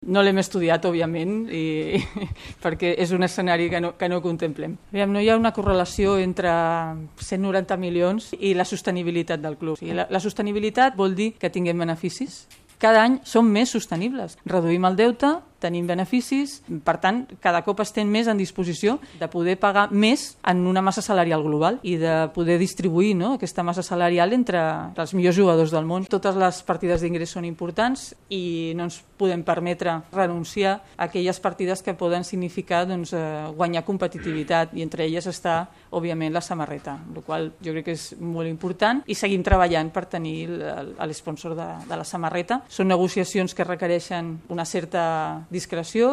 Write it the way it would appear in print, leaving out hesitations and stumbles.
No l'hem estudiat, òbviament, perquè és un escenari que no contemplem. No hi ha una correlació entre 190 milions i la sostenibilitat del club. La sostenibilitat vol dir que tinguem beneficis. Cada any som més sostenibles. Reduïm el deute, tenim beneficis, per tant, cada cop estem més en disposició de poder pagar més en una massa salarial global i de poder distribuir aquesta massa salarial entre els millors jugadors del món. Totes les partides d'ingrés són importants i no ens podem permetre renunciar a aquelles partides que poden significar guanyar competitivitat, i entre elles està, òbviament, la samarreta, el qual jo crec que és molt important, i seguim treballant per tenir l'esponsor de la samarreta. Són negociacions que requereixen una certa discreció